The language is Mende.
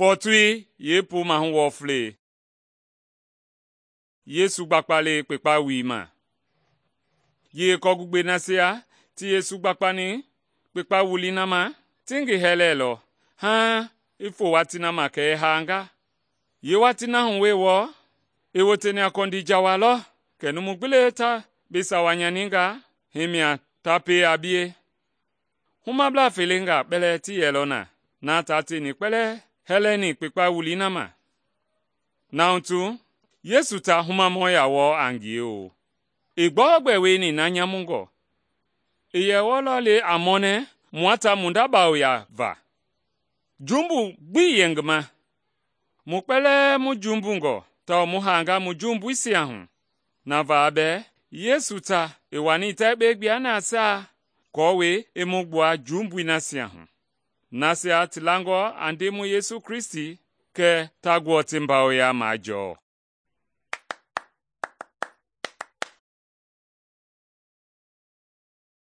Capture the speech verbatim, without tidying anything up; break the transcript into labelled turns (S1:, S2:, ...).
S1: Fɔɔtoi yeepuu mahu wɔflei. Yesu gbakpale kpekpa wui ma. Yie kɔɔgugbei nasia ti Yesu gbakpani kpekpa wulii na ma, ti ngi hɛlɛlɔ haaŋ i fo watii na ma kɛ i haanga. Yeewatii na hu wee wɔɔ, i woteni a kɔndii jawa lɔ kɛ numu gbi le ta bi sawa nyaninga, hii mia ta pie a bie. Humablaa felengaa kpɛlɛɛ ti yɛlɔ na, na taa tieni kpɛlɛɛ hɛlɛni kpekpa wulii na ma. Na hutu Yesu ta humamɔ ya wɔɔ a ngie o. I gbɔɔgbɛ wieni na nyamungɔ. I yɛ wɔlɔ le a mɔnɛ mua ta mu nda bawoya va. Jumbu gbi ii yɛ ngi ma. Mu kpɛlɛɛ mu jumbungɔ tawao mu haanga mu jumbuisia hu. Na va bɛɛ Yesu ta i wani ta yekpe gbua nasia aako i mu gbua jumbui nasia hu, nasia ti langɔ a Ndemɔi Yesu Kristi kɛ ta gbɔɔ ti mbawoya majɔɔ.